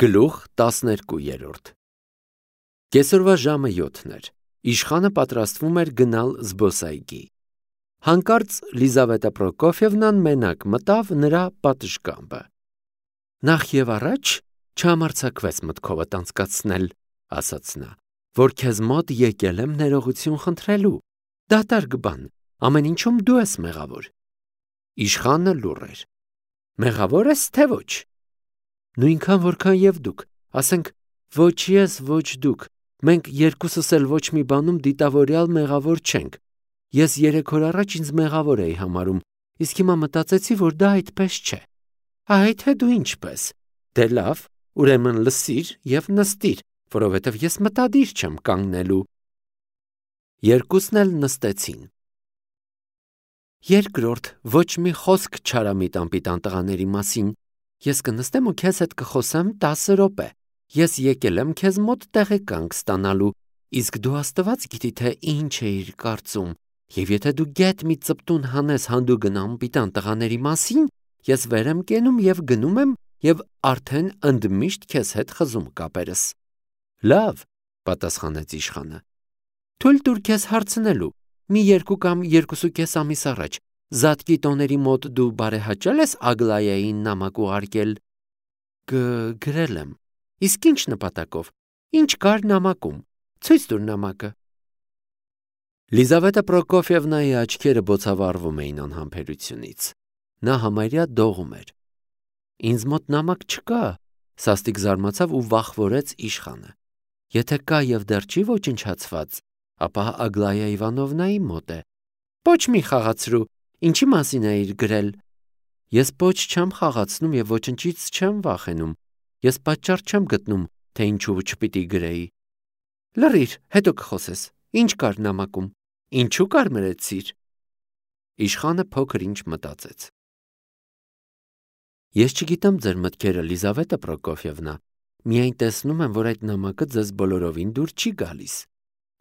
Գլուխ 12 Կեսօրվա ժամը 7 էր, իշխանը պատրաստվում էր գնալ զբոսայգի, հանկարծ Լիզավետա Պրոկոֆիևնան մենակ մտավ նրա պատշգամբը, նախ և առաջ չհամարձակվես մտքովդ անցկացնել, ասաց նա, որ քեզ մոտ եկել եմ ներողություն խնդրելու, դատարկ բան, ամեն ինչում դու ես մեղավոր, իշխանը լուռ էր, մեղավոր ես թե ոչ, նույնքան որքան և դուք, ասենք ոչ ես, ոչ դուք, մենք երկուսս էլ ոչ մի բանում դիտավորյալ մեղավոր չենք, ես 3 օր առաջ ինձ մեղավոր էի համարում, իսկ հիմա մտածեցի, որ դա այդպես չէ, թե դու ինչպես, դե լավ, ուրեմն լսիր և նստիր, որովհետև ես մտադիր չեմ կանգնելու, երկուսն էլ նստեցին, երկրորդ, ոչ մի խոսք չարամիտ անպիտան տղաների մասին, ես կնստեմ ու քեզ հետ կխոսեմ 10 րոպե, ես եկել եմ քեզ մոտ տեղեկանք ստանալու, իսկ դու աստված գիտի, թե ինչ էիր կարծում, և եթե դու գեթ մի ծպտուն հանես հանդուգն անպիտան տղաների մասին, ես վեր եմ կենում և գնում եմ և արդեն ընդմիշտ քեզ հետ խզում կապերս։ Լավ, պատասխանեց իշխանը, թույլ տուր քեզ հարցնելու, մի 2 կամ 2.5 ամիս առաջ, Զատկի տոների մոտ դու բարեհաճել ես Ագլայային նամակ ուղարկել։ Գրել եմ։ Իսկ ինչ նպատակով։ Ինչ կար նամակում։ Ցույց տուր նամակը։ Լիզավետա Պրոկոֆիևնայի աչքերը բոցավառվում էին անհամբերությունից։ Նա համարյա դողում էր։ Ինձ մոտ նամակ չկա, սաստիկ զարմացավ ու վախվորեց իշխանը։ Եթե կա և դեռ չի ոչնչացված, ապա Ագլայա Իվանովնայի մոտ է։ Ոչ մի խաղացրու, ինչի մասին էիր գրել։ Ես ոչ չեմ խաղացնում և ոչնչից չեմ վախենում։ Ես պատճառ չեմ գտնում, թե ինչու չպիտի գրեի։ Լռիր, հետո կխոսես։ Ինչ կար նամակում։ Ինչու կարմրեցիր։ Իշխանը փոքր ինչ մտածեց։ Ես չգիտեմ ձեր մտքերը, Լիզավետա Պրոկոֆիևնա, միայն տեսնում եմ, որ այդ նամակը ձեզ բոլորովին դուր չի գալիս։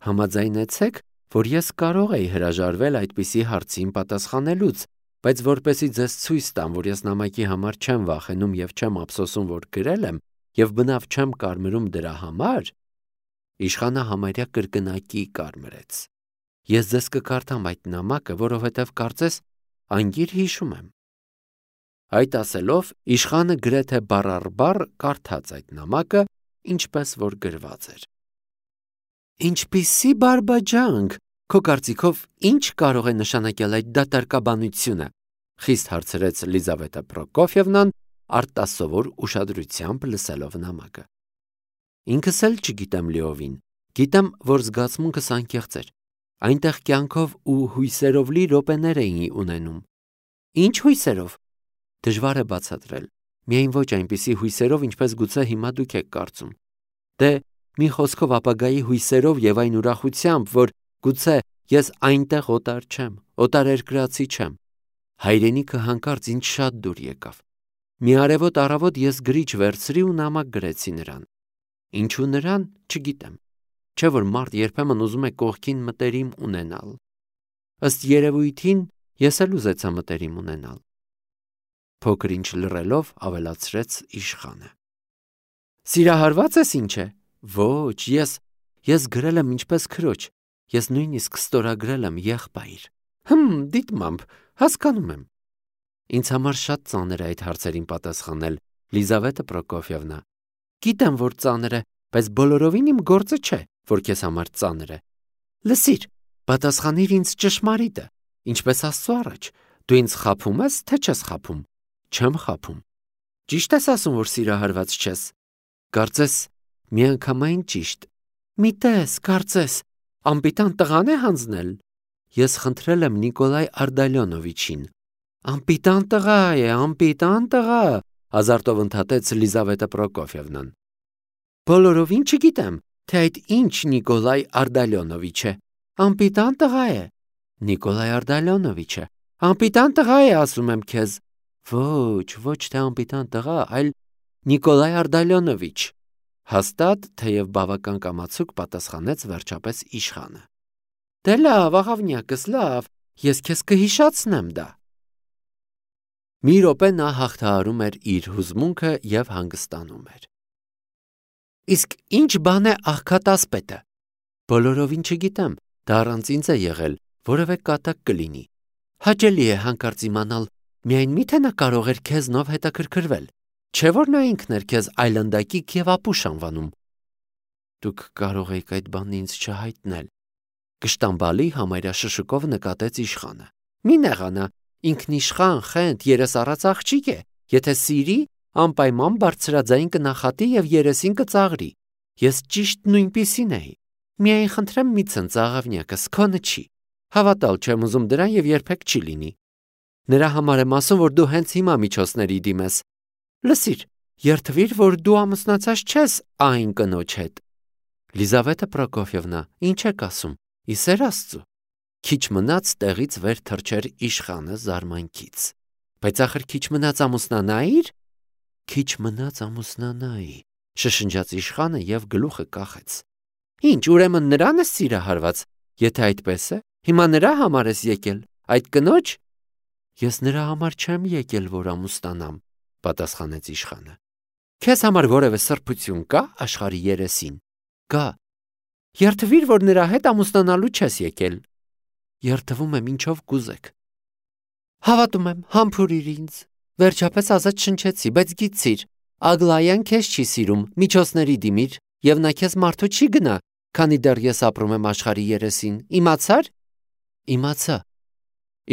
Համաձայնեցեք, որ ես կարող էի հրաժարվել այդպիսի հարցին պատասխանելուց, բայց որպեսզի ձեզ ցույց տամ, որ ես նամակի համար չեմ վախենում և չեմ ափսոսում, որ գրել եմ, և բնավ չեմ կարմրում դրա համար, իշխանը համարյա կրկնակի կարմրեց։ Ես ձեզ կկարդամ այդ նամակը, որովհետև կարծես անգիր հիշում եմ։ Այդ ասելով, իշխանը գրեթե բառ առ բառ կարդաց այդ նամակը, ինչպես որ գրված էր։ Ինչպիսի բարբաջանք, քո կարծիքով ինչ կարող է նշանակել այդ դատարկաբանությունը, խիստ հարցրեց Լիզավետա Պրոկոֆիևնան, արտասովոր ուշադրությամբ լսելով նամակը։ Ինքս էլ չգիտեմ լիովին, գիտեմ, որ զգացմունքս անկեղծ էր, այնտեղ կյանքով ու հույսերով լի րոպեներ էի ունենում։ Ինչ հույսերով։ Դժվար է բացատրել, միայն ոչ այնպիսի հույսերով, ինչպես գուցե հիմա դուք եք կարծում։ Դե մի խոսքով ապագայի հույսերով և այն ուրախությամբ, որ գուցե ես այնտեղ օտար չեմ, օտարերկրացի չեմ։ Հայրենիքը հանկարծ ինձ շատ դուր եկավ։ Մի արևոտ առավոտ ես գրիչ վերցրի ու նամակ գրեցի նրան։ Ինչու նրան, չգիտեմ։ Չէ որ մարդ երբեմն ուզում է կողքին մտերիմ ունենալ։ Ըստ երևույթին ես էլ ուզեցա մտերիմ ունենալ։ Փոքր ինչ լռելով ավելացրեց իշխանը։ Սիրահարված ես ինչ է։ Ոչ, ես գրել եմ ինչպես քրոջ, ես նույնիսկ ստորագրել եմ եղբայր։ Դիտմամբ, հասկանում եմ։ Ինձ համար շատ ծանր է այդ հարցերին պատասխանել, Լիզավետա Պրոկոֆիևնա։ Գիտեմ, որ ծանր է, բայց բոլորովին իմ գործը չէ, որ քեզ համար ծանր է։ Լսիր, պատասխանիր ինձ ճշմարիտը, ինչպես Աստծո առաջ, դու ինձ խաբում ես, թե չես խաբում։ Չեմ խաբում։ Ճիշտ ես ասում, որ սիրահարված չես։ Կարծես միանգամայն ճիշտ։ Մի տես, կարծես, անպիտան տղան է հանձնել։ Ես խնդրել եմ Նիկոլայ Արդալյոնովիչին։ Անպիտան տղա է, անպիտան տղա, ազարտով ընդհատեց Լիզավետա Պրոկոֆիևնան։ Բոլորովին չգիտեմ, թե այդ ինչ Նիկոլայ Արդալյոնովիչ է։ Անպիտան տղա է։ Նիկոլայ Արդալյոնովիչը։ Անպիտան տղա է, ասում եմ քեզ։ Ոչ թե անպիտան տղա, այլ Նիկոլայ Արդալյոնովիչ։ Հաստատ, թեև բավական կամացուկ պատասխանեց վերջապես իշխանը։ Դե լավ, աղավնյակս, լավ, ես քեզ կհիշացնեմ դա։ Մի րոպե նա հաղթահարում էր իր հուզմունքը և հանգստանում էր։ Իսկ ինչ բան է աղքատասպետը։ Բոլորովին չգիտեմ, դա առանց ինձ է եղել, որևէ կատակ կլինի։ Հաճելի է հանկարծ իմանալ, միայն միթե նա կարող էր քեզնով հետաքրքրվել, չէ՞ որ նա ինքն էր քեզ այլանդակիկ եւ ապուշ անվանում։ Դուք կարող եք այդ բանն ինձ չհայտնել։ Կշտամբալի համարյա շշուկով նկատեց իշխանը։ Մի նեղանա, ինքնիշխան, խենթ, երեսառած աղջիկ է, եթե սիրի, անպայման բարձրաձայն կնախատի եւ երեսին կծաղրի։ Ես ճիշտ նույնպիսին էի։ Միայն խնդրեմ մի ցնցաղ աղավնյակս, քոնը չի։ Հավատալ չեմ ուզում դրան եւ երբեք չի լինի։ Նրա համար եմ ասում, որ դու հենց հիմա միջոցների դիմես։ Լսիր, երթվիր, որ դու ամուսնացած չես այն կնոջ հետ։ Լիզավետա Պրոկոֆիևնա, ինչ եք ասում։ Իսեր Աստծո։ Քիչ մնաց տեղից վեր թռչեր իշխանը զարմանքից։ Բայց ախր քիչ մնաց ամուսնանայիր։ Քիչ մնաց ամուսնանայի, շշնջաց իշխանը եւ գլուխը կախեց։ Ինչ, ուրեմն նրան ես սիրահարված։ Եթե այդպես է, հիմա նրա համար ես եկել, այդ կնոջ։ Ես նրա համար չեմ եկել, որ ամուսնանամ, պատասխանեց իշխանը։ Քեզ համար որևէ սրբություն կա աշխարհի երեսին։ Կա։ Երթվիր, որ նրա հետ ամուսնանալու չես եկել։ Երթվում եմ ինչով կուզեք։ Հավատում եմ, համբուրիր ինձ։ Վերջապես ազատ շնչեցի, բայց գիտիր, Ագլայան քեզ չի սիրում, միջոցների դիմիր, եւ նա քեզ մարդու չի գնա, քանի դեռ ես ապրում եմ աշխարհի երեսին։ Իմացար։ Իմացա։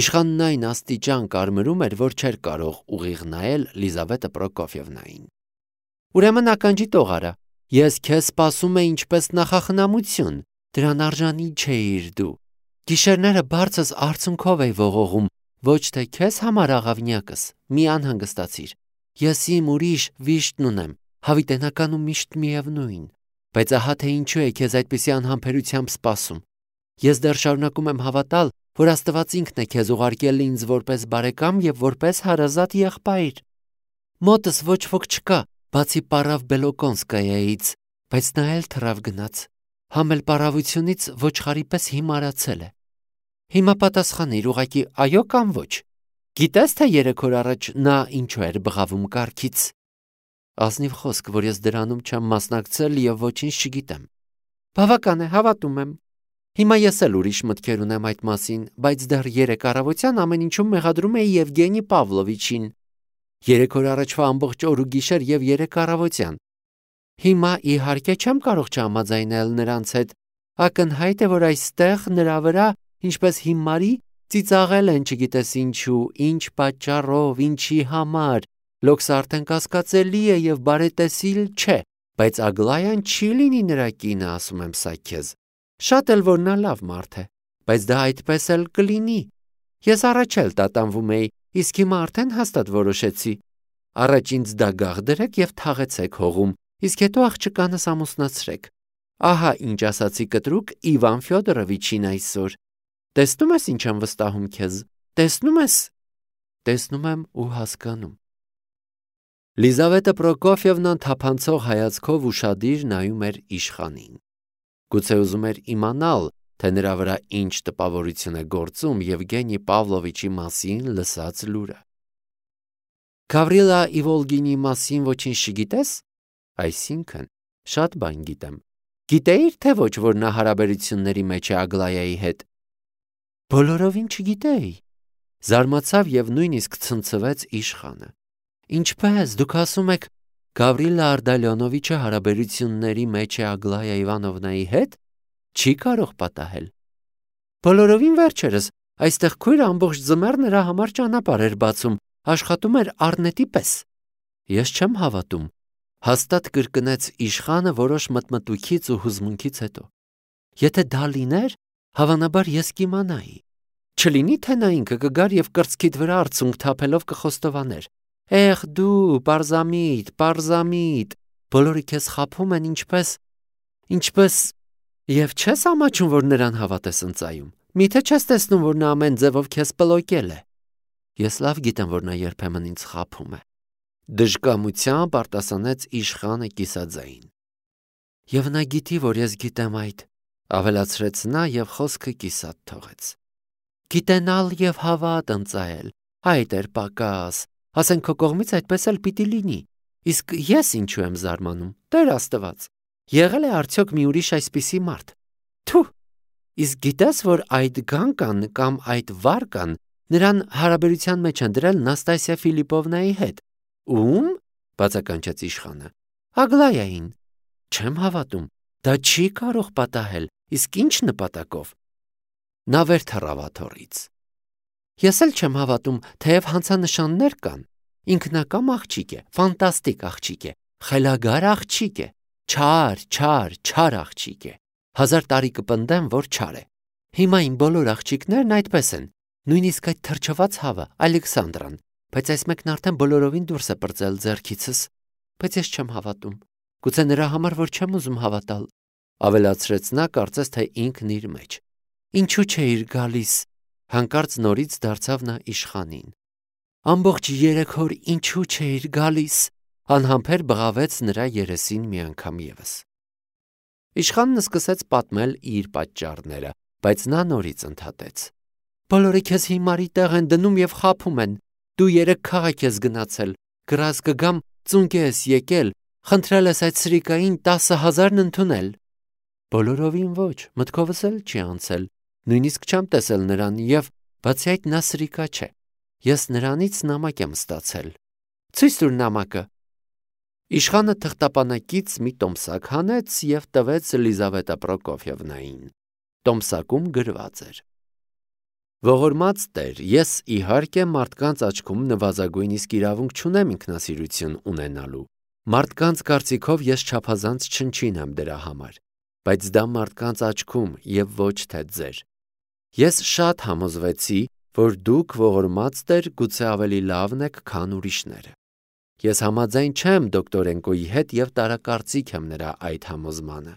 Իշխանն այն աստիճան կարմրում էր, որ չէր կարող ուղիղ նայել Լիզավետա Պրոկոֆիևնային։ Ուրեմն ականջի տող արա, ես քեզ սպասում եի ինչպես նախախնամություն, դրան արժանի չէիր դու։ Գիշերները բարձր արցունքով էի ողողում, ոչ թե քեզ համար աղավնյակս, մի անհանգստացիր։ Ես իմ ուրիշ վիշտն ունեմ, հավիտենականում միշտ միևնույն, բայց ահա թե ինչու է քեզ այդպիսի անհամբերությամբ սպասում։ Ես դեռ շարունակում եմ հավատալ, որ Աստված ինքն է քեզ ուղարկել ինձ որպես բարեկամ եւ որպես հարազատ եղբայր։ Մոտս ոչ ոք չկա, բացի Պարավ Բելոկոնսկայայից, բայց նա էլ թռավ գնաց։ Համել պարավությունից ոչխարի պես հիմարացել է։ Հիմա պատասխանիր ուղակի այո կամ ոչ։ Գիտես թե 3 օր առաջ նա ինչու էր բղավում կառքից։ Ազնիվ խոսք, որ ես դրանում չեմ մասնակցել եւ ոչինչ չգիտեմ։ Բավական է, հավատում եմ։ Հիմա ես էլ ուրիշ մտքեր ունեմ այդ մասին, բայց դեռ 3 առավոտյան ամեն ինչում մեղադրում էի Եվգենի Պավլովիչին։ 3 օր առաջվա ամբողջ օր ու գիշեր եւ 3 առավոտյան։ Հիմա իհարկե չեմ կարող չհամաձայնել նրանց հետ։ Ակնհայտ է, որ այստեղ նրա վրա, ինչպես հիմարի, ծիծաղել են չգիտես ինչու, ինչ պատճառով, ինչի համար։ Լոքսը արդեն կասկածելի է եւ բարետեսիլ չէ, բայց Ագլայան չի լինի նրա կինը, ասում եմ սա քեզ։ Շատ էլ որ նա լավ մարդ է, բայց դա այդպես էլ կլինի։ Ես առաջ էլ տատանվում էի, իսկ հիմա արդեն հաստատ որոշեցի։ Առաջ ինձ դագաղ դրեք եւ թաղեցեք հողում, իսկ հետո աղջկանս ամուսնացրեք։ Ահա ինչ ասացի կտրուկ Իվան Ֆյոդորովիչին այսօր։ Տեսնում ես ինչ եմ վստահում քեզ։ Տեսնում ես։ Տեսնում եմ ու հասկանում։ Լիզավետա Պրոկոֆիևնան թափանցող հայացքով ուշադիր նայում էր իշխանին։ Գուցե ուզում էր իմանալ, թե նրա վրա ինչ տպավորություն է գործում Եվգենի Պավլովիչի մասին լսած լուրը։ Գավրիլա Իվոլգինի մասին ոչինչ չգիտես։ Այսինքն, շատ բան գիտեմ։ Գիտեիր թե ոչ, որ նա հարաբերությունների մեջ է Ագլայայի հետ։ Բոլորովին չգիտեի։ Զարմացավ եւ նույնիսկ ցնցվեց իշխանը։ Ինչպես դուք ասում եք, Գավրիլա Արդալյոնովիչը հարաբերությունների մեջ է Ագլայա Իվանովնայի հետ, չի կարող պատահել։ Բոլորովին վերջերս այստեղ քույրը ամբողջ ձմեռ նրա համար ճանապարհ էր բացում, աշխատում էր առնետի պես։ Ես չեմ հավատում, հաստատ կրկնեց իշխանը որոշ մտմտույքից ու հուզմունքից հետո։ Եթե դա լիներ, հավանաբար ես կիմանայի։ Չլինի թե նա ինքը կգար եւ կրծքիդ վրա արցունք թափելով կխոստովաներ։ Էխ դու, պարզամիտ, բոլորը քեզ խաբում են ինչպես եւ չես ամաչում, որ նրան հավատես ընծայում։ Միթե չես տեսնում, որ նա ամեն ձևով քեզ պլոկել է։ Ես լավ գիտեմ, որ նա երբեմն ինձ խաբում է։ Դժկամությամբ արտասանեց իշխանը կիսաձայն։ Եվ նա գիտի, որ ես գիտեմ այդ, ավելացրեց նա եւ խոսքը կիսատ թողեց։ Գիտենալ եւ հավատ ընծայել, այդ էր պակաս, ասենք քո կողմից այդպես էլ պիտի լինի, իսկ ես ինչու եմ զարմանում, Տեր Աստված, Եղել է արդյոք մի ուրիշ այսպիսի մարդ։ Թու, իսկ գիտես, որ այդ Գանկան կամ այդ Վարկան նրան հարաբերության մեջ են դրել Նաստասիա Ֆիլիպովնայի հետ։ Ում? Բացականչեց իշխանը։ Ագլայային։ Չեմ հավատում, դա չի կարող պատահել, իսկ ինչ նպատակով։ Նա վեր թռավ աթոռից։ Ես էլ չեմ հավատում, թեև հանցանշաններ կան։ Ինքնակամ աղջիկ է, ֆանտաստիկ աղջիկ է, խելագար աղջիկ է, չար աղջիկ է։ 1000 տարի կպնդեմ, որ չար է։ Հիմա իմ բոլոր աղջիկներն այդպես են, նույնիսկ այդ թրջված հավը, Ալեքսանդրան, բայց այս մեկն արդեն բոլորովին դուրս է պրծել ձեռքիցս, բայց ես չեմ հավատում։ Գուցե նրա համար, որ չեմ ուզում հավատալ, ավելացրեց նա, կարծես թե ինքն իր մեջ։ Ինչու չէիր գալիս, հանկարծ նորից դարձավ նա իշխանին։ Ամբողջ 3 օր ինչու չէիր գալիս, անհամբեր բղավեց նրա երեսին մի անգամ ևս։ Իշխանն սկսեց պատմել իր պատճառները, բայց նա նորից ընդհատեց. Բոլորը քեզ հիմարի տեղ են դնում եւ խաբում են։ Դու 3 քաղաք ես գնացել, գրած կգամ ծունկ ես եկել, խնդրել ես այդ սրիկային 10,000-ն ընդունել։ Բոլորովին ոչ, մտքովս էլ չի անցել, նույնիսկ չեմ տեսել նրան եւ բացի այդ նա սրիկա չէ։ Ես նրանից նամակ եմ ստացել։ Ցույց տուր նամակը։ Իշխանը թղթապանակից մի տոմսակ հանեց եւ տվեց Լիզավետա Պրոկոֆյևնային։ Տոմսակում գրված էր. Ողորմած Տեր, ես իհարկե մարդկանց աչքում նվազագույն իսկ իրավունք չունեմ ինքնասիրություն ունենալու։ Մարդկանց կարծիքով ես չափազանց չնչին եմ դրա համար, բայց դա մարդկանց աչքում եւ ոչ թե ձեր։ Ես շատ համոզվեցի, որ դուք ողորմած Տեր գուցե ավելի լավն եք, քան ուրիշները։ Ես համաձայն չեմ դոկտորենկոյի հետ եւ տարակարծիք եմ նրա այդ համոզմանը։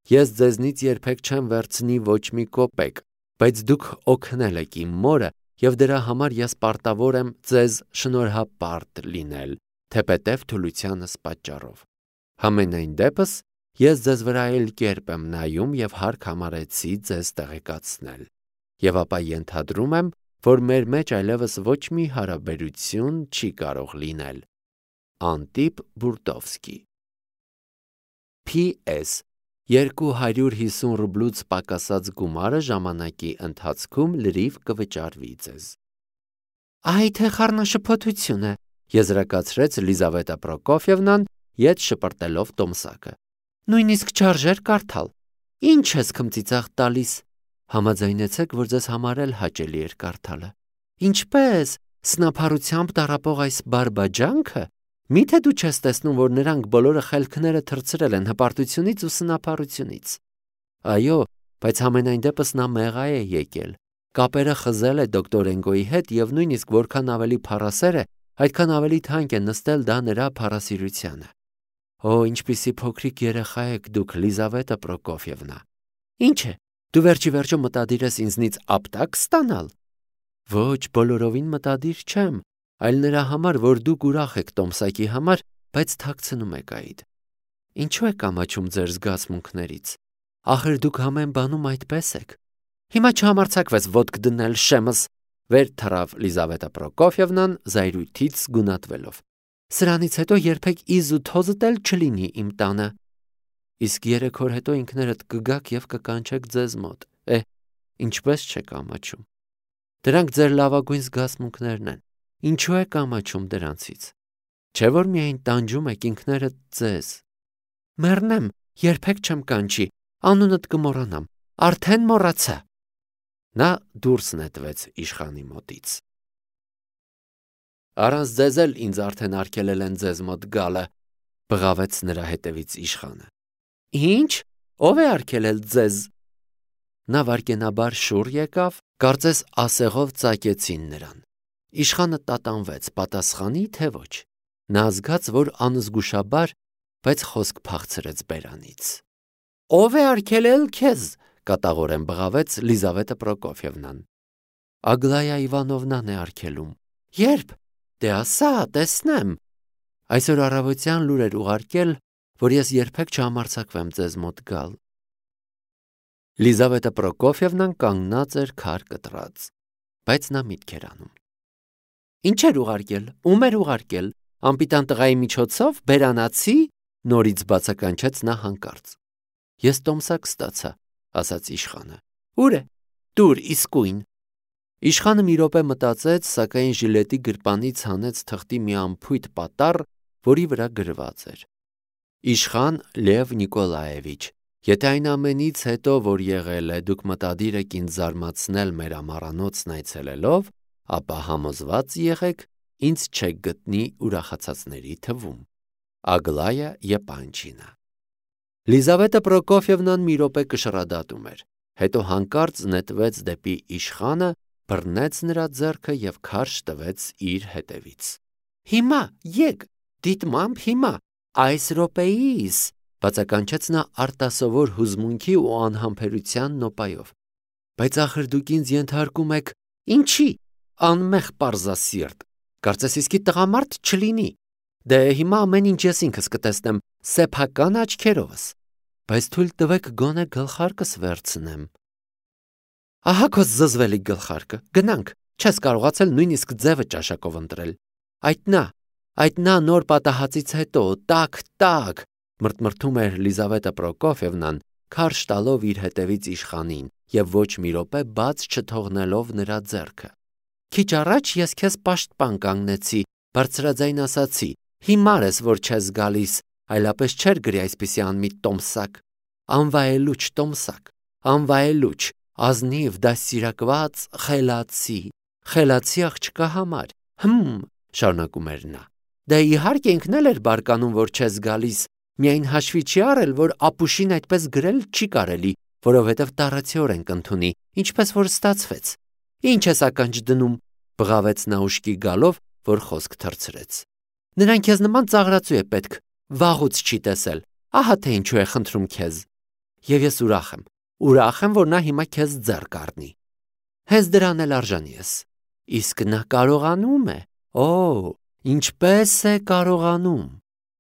Ես ձեզնից երբեք չեմ վերցնի ոչ մի կոպեկ, բայց դուք օգնել եք իմ մորը եւ դրա համար ես պարտավոր եմ ձեզ շնորհապարտ լինել, թեպետև թուլությանս պատճառով։ Համենայն դեպս ես ձեզ վրա էլ կերպ եմ նայում եւ հարկ համարեցի ձեզ տեղեկացնել։ Եվ ապա ենթադրում եմ, որ մեր մեջ այլևս ոչ մի հարաբերություն չի կարող լինել։ Անտիպ Բուրտովսկի P.S. 250 ռուբլուց պակասած գումարը ժամանակի ընթացքում լրիվ կվճարվի ձեզ։ Այ թե խառնաշփոթություն է, եզրակացրեց Լիզավետա Պրոկոֆյևնան, ետ շպրտելով տոմսակը։ Նույնիսկ չարժեր կարդալ։ Ինչ ես քմծիծաղ տալիս։ Համաձայնեցեք, որ ձեզ համար էլ հաճելի էր կարդալը։ Ինչպես սնափառությամբ տառապող այս բարբաջանքը։ Միթե դու չես տեսնում, որ նրանք բոլորը խելքները թրծրել են հպարտությունից ու սնափառությունից։ Այո, բայց համենայն դեպս նա մեղա է եկել։ Կապերը խզել է դոկտորենկոյի հետ եւ նույնիսկ որքան ավելի փառասեր է, այդքան ավելի թանկ է նստել դա նրա փառասիրությանը։ Օ, ինչպիսի փոքրիկ երեխա եք դուք, Լիզավետա Պրոկոֆյևնա։ Ինչ է, դու վերջի վերջո մտադիր ես ինձնից ապտակ ստանալ։ Ոչ, բոլորովին մտադիր չեմ, այլ նրա համար, որ դուք ուրախ եք տոմսակի համար, բայց թաքցնում եք այդ։ Ինչու եք ամաչում ձեր զգացմունքներից։ Ախր դուք ամեն բանում այդպես եք։ Հիմա չհամարձակվես ոտք դնել շեմս, վեր թռավ Լիզավետա Պրոկոֆյևնան զայրույթից գունատվելով։ Սրանից հետո երբեք իզ ու թոզդ էլ չլինի իմ տանը։ Իսկ 3 օր հետո ինքներդ կգաք եւ կկանչեք ձեզ մոտ։ Ինչպես չեք ամաչում։ Դրանք ձեր լավագույն զգացմունքներն են։ Ինչու եք ամաչում դրանցից։ Չէ՞ որ միայն տանջում եք ինքներդ ձեզ։ Մեռնեմ, երբեք չեմ կանչի, անունդ կմոռանամ, արդեն մոռացա։ Նա դուրս նետվեց իշխանի մոտից։ Առանց ձեզ էլ ինձ արդեն արգելել են ձեզ մոտ գալը, բղավեց նրա հետևից իշխանը։ Ինչ, ով է արգելել ձեզ։ Նա վարկենաբար շուռ եկավ, կարծես ասեղով ծակեցին նրան։ Իշխանը տատանվեց, պատասխանի թե ոչ։ Նա զգաց, որ անզգուշաբար, բայց խոսք փախցրեց բերանից։ Ով է արգելել քեզ, կատաղորեն բղավեց Լիզավետա Պրոկոֆյևնան։ Ագլայա Իվանովնան է արգելում։ Երբ։ Դե ասա, տեսնեմ։ Այսօր առավոտյան լուր էր ուղարկել, որ ես երբեք չհամարձակվեմ ձեզ մոտ գալ։ Լիզավետա Պրոկոֆյևնան կանգնած էր քար կտրած, բայց նա միտք էր անում։ Ինչ էր ուղարկել, ում էր ուղարկել, անպիտան տղայի միջոցով, բերանացի, նորից բացականչեց նա հանկարծ։ Ես տոմսակ ստացա, ասաց իշխանը։ Ուր է։ Դուր իսկույն։ Իշխանը մի րոպե մտածեց, սակայն ժիլետի գրպանից հանեց թղթի մի անփույթ պատառ, որի վրա գրված էր. Իշխան Լև Նիկոլաևիչ, եթե այն ամենից հետո, որ եղել է, դուք մտադիր եք ինձ զարմացնել մեր ամառանոցն այցելելով, ապա համոզված եղեք, ինձ չեք գտնի ուրախացածների թվում։ Ագլայա Եպանչինա։ Լիզավետա Պրոկոֆիևնան մի րոպե կշռադատում էր, հետո հանկարծ նետվեց դեպի իշխանը, բռնեց նրա ձեռքը և քարշ տվեց իր հետևից։ Հիմա եկ, դիտմամբ հիմա, այս րոպեիս, բացականչեց նա արտասովոր հուզմունքի ու անհամբերության նոպայով։ Բայց ախր դուք ինձ ենթարկում եք, ինչի, անմեղ պարզասիրտ, կարծես իսկի տղամարդ չլինի։ Դե հիմա ամեն ինչ ես ինքս կտեսնեմ սեփական աչքերովս, բայց թույլ տվեք գոնե գլխարկս վերցնեմ։ Ահա քո զզվելի գլխարկը, գնանք, չես կարողացել նույնիսկ ձևը ճաշակով ընտրել։ Այդ նա նոր պատահածից հետո, տակ, մրթմրթում էր Լիզավետա Պրոկոֆիևնան, քարշ տալով իր հետևից իշխանին և ոչ մի րոպե բաց չթողնելով նրա ձեռքը։ Քիչ առաջ ես քեզ պաշտպան կանգնեցի, բարձրաձայն ասացի, հիմար ես, որ չես գալիս, այլապես չէր գրի այսպիսի անմիտ տոմսակ, անվայելուչ տոմսակ, անվայելուչ, ազնիվ դաստիարակված խելացի աղջկա համար, շարունակում էր նա, դե իհարկե ինքն էլ էր բարկանում, որ չես գալիս, միայն հաշվի չի առել, որ ապուշին այդպես գրել չի կարելի, որովհետև տառացիորեն կընդունի, ինչպես որ ստացվեց։ Ինչ ես ականջ դնում, բղավեց նա ուշքի գալով, որ խոսք թռցրեց։ Նրան քեզ նման ծաղրածու է պետք, վաղուց չի տեսել, ահա թե ինչու է խնդրում քեզ։ Եվ ես ուրախ եմ, որ նա հիմա քեզ ձեռ կառնի։ Հենց դրան էլ արժանի ես։ Իսկ նա կարողանում է, ինչպես է կարողանում։